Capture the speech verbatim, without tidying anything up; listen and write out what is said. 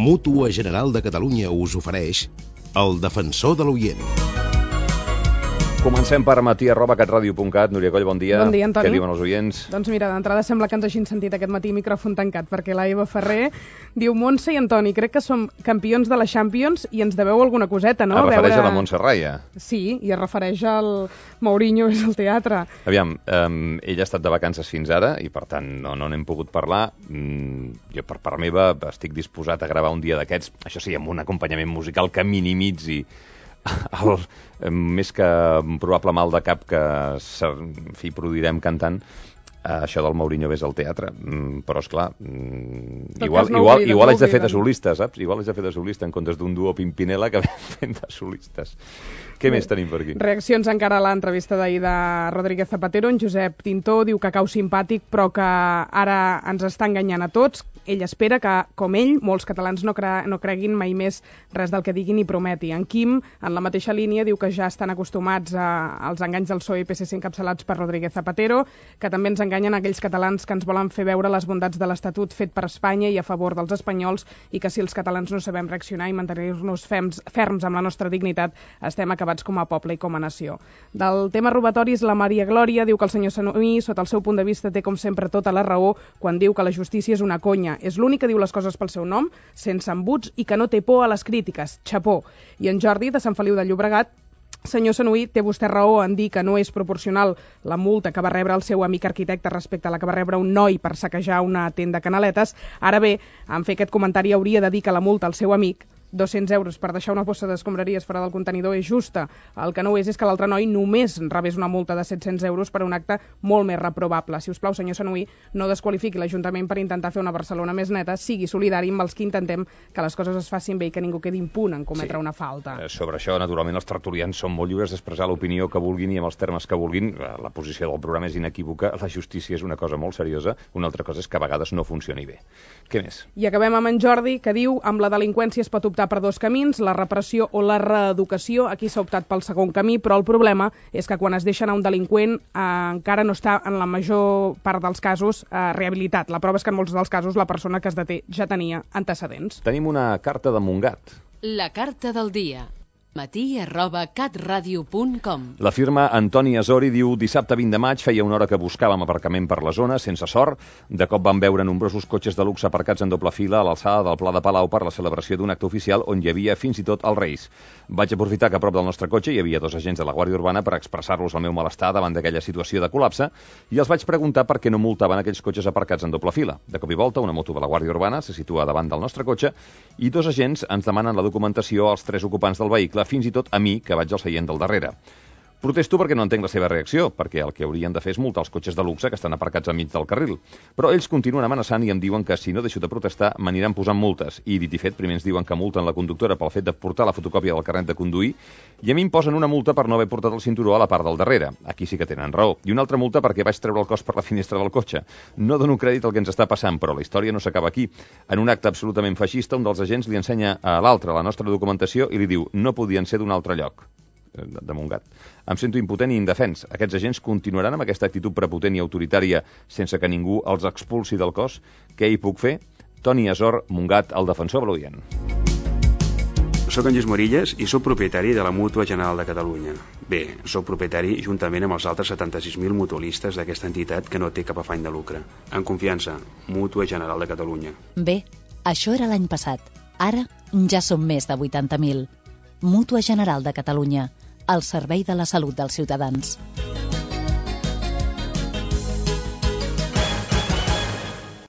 Mútua General de Catalunya us ofereix El Defensor de l'Oient. Comencem per matí arroba catradio punt cat. Núria Coll, bon dia. Bon dia, Antoni. Què diuen els oients? Doncs mira, d'entrada sembla que ens hagin sentit aquest matí micròfon tancat, perquè la Eva Ferrer diu: Montse i Antoni, crec que som campions de la Champions i ens deveu alguna coseta, no? Es refereix veure... a la Montse Raya. Sí, i es refereix al Mourinho és al teatre. Aviam, um, ella ha estat de vacances fins ara i per tant no no n'hem pogut parlar. Mm, jo per part meva estic disposat a gravar un dia d'aquests, això sí, amb un acompanyament musical que minimitzi el, més que probable mal de cap que en fi, produirem cantant, eh, això del Mourinho ves al teatre. Mm, però, esclar, mm, igual, no igual, obliden, igual no haig de fer de solista, saps? Igual haig de fer de solista en comptes d'un duo Pimpinela que fem de solistes. Què més tenim per aquí? Reaccions encara a l'entrevista d'ahir de Rodríguez Zapatero. En Josep Tintó diu que cau simpàtic, però que ara ens està enganyant a tots. Ell espera que, com ell, molts catalans no, cre no creguin mai més res del que diguin i prometi. En Quim, en la mateixa línia, diu que ja estan acostumats a, als enganys del P S O E i P S C encapçalats per Rodríguez Zapatero, que també ens enganyen aquells catalans que ens volen fer veure les bondats de l'Estatut fet per Espanya i a favor dels espanyols, i que si els catalans no sabem reaccionar i mantenir-nos ferms, ferms amb la nostra dignitat, estem acabats com a poble i com a nació. Del tema robatoris, la Maria Glòria diu que el senyor Sanuy, sota el seu punt de vista, té com sempre tota la raó quan diu que la justícia és una conya. És l'únic que diu les coses pel seu nom, sense embuts, i que no té por a les crítiques. Xapó. I en Jordi, de Sant Feliu de Llobregat: senyor Sanuy, té vostè raó en dir que no és proporcional la multa que va rebre el seu amic arquitecte respecte a la que va rebre un noi per saquejar una tenda Canaletes. Ara bé, en fer aquest comentari hauria de dir que la multa al seu amic, dos-cents euros per deixar una bossa d'escombraries fora del contenidor, és justa. El que no és és que l'altre noi només rebés una multa de set-cents euros per un acte molt més reprovable. Si us plau, senyor Sanuy, no desqualifiqui l'Ajuntament per intentar fer una Barcelona més neta, sigui solidari amb els que intentem que les coses es facin bé i que ningú quedi impune en cometre sí. una falta. Eh, sobre això, naturalment, els tertulians són molt lliures d'expressar l'opinió que vulguin i amb els termes que vulguin. La posició del programa és inequívoca. La justícia és una cosa molt seriosa. Una altra cosa és que a vegades no funcioni bé. Què més? I acabem amb en Jordi, que diu: amb la delinqüència es pot optar per dos camins, la repressió o la reeducació. Aquí s'ha optat pel segon camí, però el problema és que quan es deixa anar un delinqüent eh, encara no està, en la major part dels casos, eh, rehabilitat. La prova és que en molts dels casos la persona que es deté ja tenia antecedents. Tenim una carta de Montgat. La carta del dia. matí arroba catradio punt com. La firma Antoni Azori diu: dissabte vint de maig feia una hora que buscàvem aparcament per la zona, sense sort. De cop vam veure nombrosos cotxes de luxe aparcats en doble fila a l'alçada del Pla de Palau per la celebració d'un acte oficial on hi havia fins i tot els Reis. Vaig aprofitar que a prop del nostre cotxe hi havia dos agents de la Guàrdia Urbana per expressar-los el meu malestar davant d'aquella situació de col·lapse i els vaig preguntar per què no multaven aquells cotxes aparcats en doble fila. De cop i volta, una moto de la Guàrdia Urbana se situa davant del nostre cotxe i dos agents ens demanen la documentació als tres ocupants del vehicle, fins i tot a mi, que vaig al seient del darrere. Protesto perquè no entenc la seva reacció, perquè el que haurien de fer és multar els cotxes de luxe que estan aparcats enmig del carril. Però ells continuen amenaçant i em diuen que si no deixo de protestar m'aniran posant multes. I dit i fet, primer ens diuen que multen la conductora pel fet de portar la fotocòpia del carnet de conduir i a mi em posen una multa per no haver portat el cinturó a la part del darrere. Aquí sí que tenen raó. I una altra multa perquè vaig treure el cos per la finestra del cotxe. No dono crèdit al que ens està passant, però la història no s'acaba aquí. En un acte absolutament feixista, un dels agents li ensenya a l'altre la nostra documentació i li diu: no podien ser d'un altre lloc. De Montgat. Em sento impotent i indefens. Aquests agents continuaran amb aquesta actitud prepotent i autoritària sense que ningú els expulsi del cos? Què hi puc fer? Toni Azor, Montgat, el defensor de l'oient. Soc en Lluís Morillas i soc propietari de la Mútua General de Catalunya. Bé, soc propietari juntament amb els altres setanta-sis mil mutualistes d'aquesta entitat que no té cap afany de lucre. En confiança, Mútua General de Catalunya. Bé, això era l'any passat. Ara ja som més de vuitanta mil. Mútua General de Catalunya, al servei de la salut dels ciutadans.